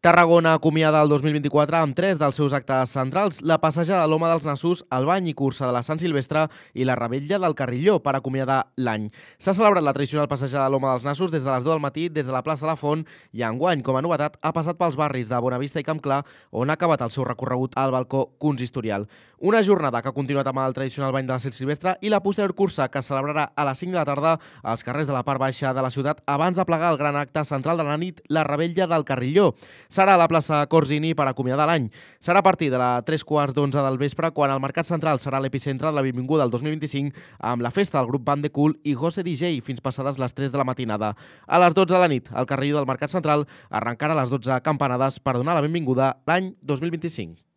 Tarragona acomiada el 2024 amb tres dels seus actes centrals, la passejada de l'Home dels Nassos, el bany i cursa de la Sant Silvestre i la revetlla del Carrilló per acomiadar l'any. S'ha celebrat la tradicional passejada de l'Home dels Nassos des de les 2 del matí des de la plaça de la Font i enguany, com a novetat, ha passat pels barris de Bonavista i Campclar, on ha acabat el seu recorregut al balcó consistorial. Una jornada que ha continuat amb el tradicional bany de la Sant Silvestre i la posterior cursa que es celebrarà a les 5 de la tarda als carrers de la part baixa de la ciutat abans de plegar el gran acte central de la nit, la revetlla del Carrilló. Serà a la plaça Corsini per acomiadar l'any. Serà a partir de les 3:15 del vespre, quan el Mercat Central serà l'epicentre de la benvinguda del 2025 amb la festa del grup Band de Cool i José DJ fins passades les 3 de la matinada. A les 12 de la nit, el Carrilló del Mercat Central arrencarà a les 12 campanades per donar la benvinguda l'any 2025.